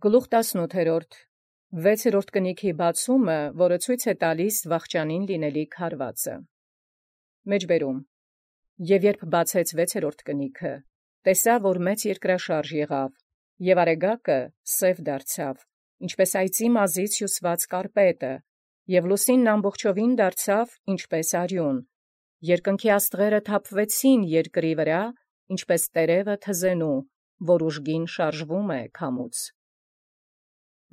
Գլուխ 18 6-րդ կնիքի բացումը, որը ցույց է տալիս վախճանին լինելիք հարվածը։ Մեջբերում. Եվ երբ բացեց 6-րդ կնիքը, տեսա, որ մեծ երկրաշարժ եղավ, եւ արեգակը սև դարձավ, ինչպես այծի մազից հյուսված կարպետը, եւ լուսինն ամբողջովին դարձավ, ինչպես արյուն, երկնքի աստղերը թափվեցին երկրի վրա, ինչպես տերևը թզենու, որ ուժգին շարժվում է քամուց։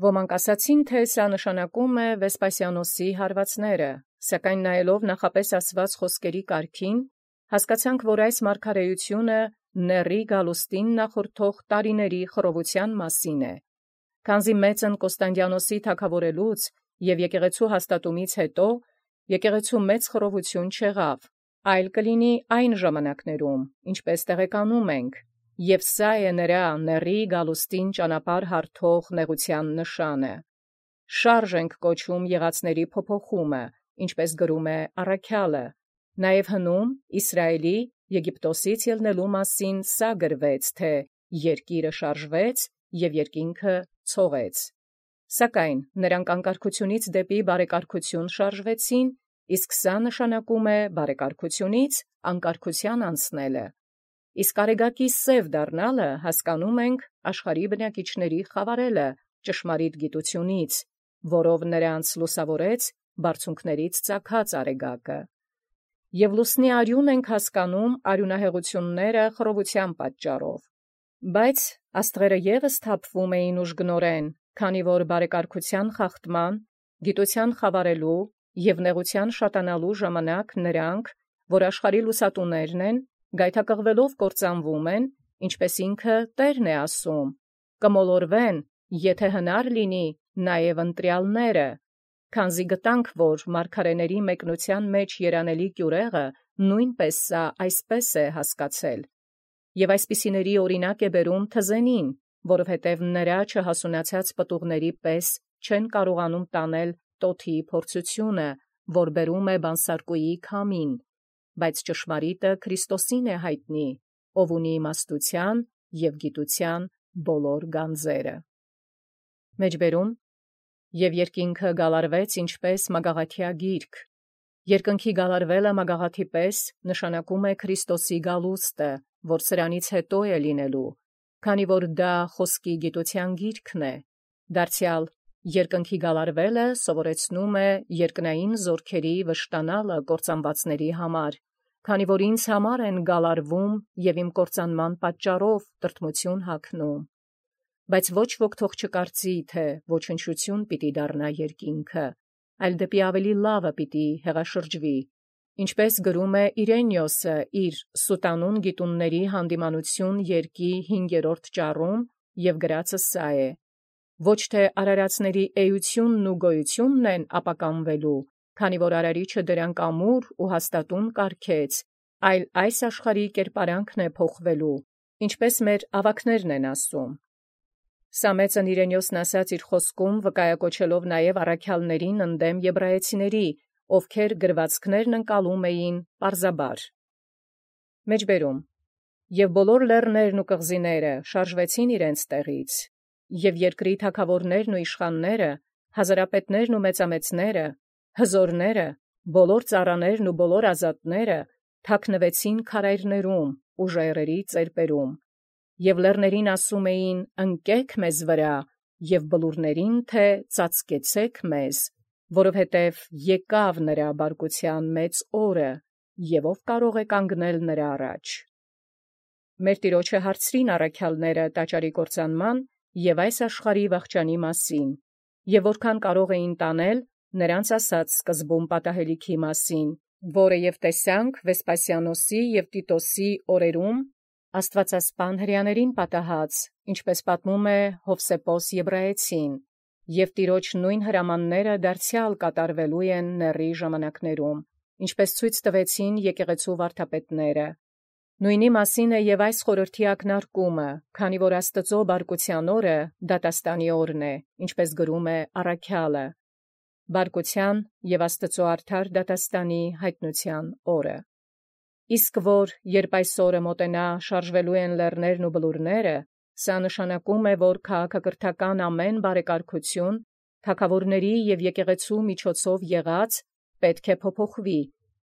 Ոմանք ասացին, թե սա նշանակում է Վեսպասիանոսի հարվածները, սակայն նայելով նախապես ասված խոսքերի կարգին, հասկացանք, որ այս մարգարեությունը Ների Գալուստին նախորդող տարիների խռովության մասին է։ Քանզի մեծն Կոստանդիանոսի թագավորելուց եւ եկեղեցու հաստատումից հետո եկեղեցու մեծ խռովություն չեղավ, այլ կլինի այն ժամանակներում, ինչպես տեղեկանում ենք, եւ սա է նրա Ների Գալուստին ճանապարհ հարթող նեղության նշանը։ Շարժ ենք կոչում եղածների փոփոխումը, ինչպես գրում է առաքյալը, նաեւ հնում Իսրայելի Եգիպտոսից ելնելու մասին սա գրվեց, թե երկիրը շարժվեց եւ երկինքը ցողեց։ Սակայն նրանք անկարգությունից դեպի բարեկարգություն շարժվեցին, իսկ սա նշանակում է բարեկարգությունից անկարգության անցնելը։ Իսկ արեգակի սև դառնալը հասկանում ենք աշխարհի բնակիչների խավարելը ճշմարիտ գիտությունից, որով նրանց լուսավորեց բարձունքներից ծագած արեգակը։ Եվ լուսնի արյուն ենք հասկանում արյունահեղությունները խռովության պատճառով։ Բայց աստղերը ևս թափվում էին ուժգնորեն, քանի որ բարեկարգության խախտման, գիտության խավարելու եւ նեղության շատանալու ժամանակ նրանք, որ աշխարհի լուսատուներն են, գայթակղվելով կործանվում են, ինչպես ինքը Տերն է ասում, կմոլորվեն, եթե հնար լինի, նաև ընտրյալները, քանզի գտանք, որ մարգարեների մեկնության մեջ երանելի կյուրեղը նույնպես սա այսպես է հասկացել, եւ այսպիսիների օրինակ է բերում թզենին, որովհետև նրա չհասունացած պտուղների պես չեն կարողանում տանել տոթի փորձությունը, որ բերում է բանսարկուի քամին, բայց ճշմարիտը Քրիստոսին է հայտնի, ով ունի իմաստության եւ գիտության բոլոր գանձերը։ Մեջբերում. Եվ երկինքը գալարվեց ինչպես մագաղաթյա գիրք։ Երկնքի գալարվելը մագաղաթի պես նշանակում է Քրիստոսի գալուստը, որ սրանից հետո է լինելու, քանի որ դա խոսքի գիտության գիրքն է։ Դարձյալ երկնքի գալարվելը սովորեցնում է երկնային զորքերի վշտանալը կործանվածների համար, քանի որ ինձ համար են գալարվում եւ իմ կործանման պատճառով տրտմություն հագնում։ Բայց ոչ ոք թող չկարծի, թե ոչնչություն պիտի դառնա երկինքը, այլ դեպի ավելի լավը պիտի հեղաշրջվի, ինչպես գրում է Իրենիոսը իր Սուտանուն գիտունների հանդիմանություն երկի 5-րդ ճառում եւ գրածը սա է. ոչ թե արարածների էությունն ու գոյությունն են ապականվելու, քանի որ արարիչը դրանք ամուր ու հաստատուն կարգեց, այլ այս աշխարհի կերպարանքն է փոխվելու, ինչպես մեր ավակներն են ասում։ Սա մեծն Իրենիոսն ասաց իր խոսքում, վկայակոչելով նաև առաքյալներին ընդդեմ եբրայեցիների, ովքեր գրվածքներն ընկալում էին պարզաբար։ Մեջբերում. Եվ բոլոր լեռներն ու կղզիները շարժվեցին իրենց տեղից, եւ երկրի թագավորներն ու իշխանները, հազարապետներն ու մեծամեծները, հզորները, բոլոր ծառաներն ու բոլոր ազատները թաքնվեցին քարայրներում ու ժայռերի ծերպերում, եւ լեռներին ասում էին. ընկեք մեզ վրա, եւ բլուրներին, թե ծածկեցեք մեզ, որովհետև եկավ նրա բարկության մեծ օրը, եւ ով կարող է կանգնել նրա առաջ։ Մեր Տիրոջը հարցրին առաքյալները տաճարի կործանման եւ այս աշխարհի վախճանի մասին, եւ որքան կարող էին տանել, նրանց ասած սկզբում պատահելիքի մասին, որը եւ տեսանք Վեսպասիանոսի եւ Տիտոսի օրերում աստվածասպան հրեաներին պատահած, ինչպես պատմում է Հովսեփոս Եբրայեցին, եւ Տիրոջ նույն հրամանները դարձյալ կատարվելու են Ների ժամանակներում, ինչպես ցույց տվեցին եկեղեցու վարդապետները։ Նույնի մասին է եւ այս խորհրդի ակնարկումը, քանի որ Աստծո բարկության օրը դատաստանի օրն է, ինչպես գրում է առաքյալը, բարկության եւ Աստծո արդար դատաստանի հայտնության օրը։ Իսկ որ երբ այս օրը մոտենա շարժվելու են լեռներն ու բլուրները, Սա նշանակում է, որ քաղաքակրթական ամեն բարեկարգություն, թագավորների և եկեղեցու միջոցով եղած, պետք է փոփոխվի,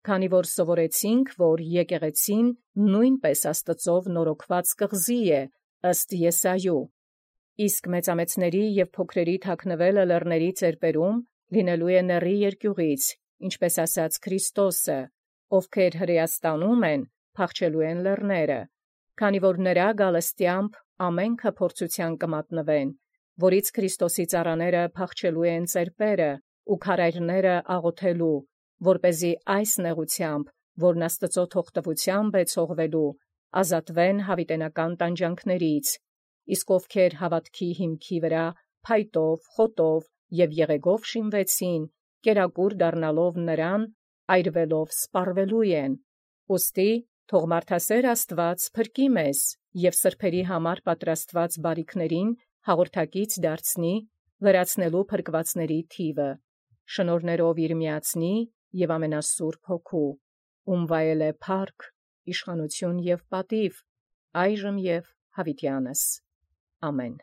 քանի որ սովորեցինք, որ եկեղեցին նույնպես Աստծով նորոգված կղզի է, ըստ Եսայու։ Իսկ մեծամեծների և փոքրերի թաքնվելը լեռների ծերպերում լինելու է նեռի երկյուղից, ինչպես ասաց Քրիստոսը, ովքեր հրեաստանում են, փախչելու են լեռները, քանի որ նրա գալստեամբ ամենքը փորձութեան կմատնվեն, որից Քրիստոսի ծառաները փախչելու են ծերպերը ու քարայրները աղոթելու, որպեսզի այս նեղությամբ, որն Աստծո թողտվությամբ է ցողվելու, ազատվեն յաւիտենական տանջանքներից, իսկ ովքեր հաւատքի հիմքի վրա փայտով, խոտով և եղեգով շինվեցին, կերակուր դառնալով նրան, այրվելով սպառվելու են։ Ուստի թող մարդասեր Աստուած փրկի մեզ և սրբերի համար պատրաստված բարիքներին հաղորդակից դարձնի, լրացնելու փրկվածների թիվը, շնորհներով իր միածնի և ամենասուրբ Հոգու, ում վայել է փառք, իշխանություն և պատիւ, այժմ և յաւիտյանս։ Ամեն։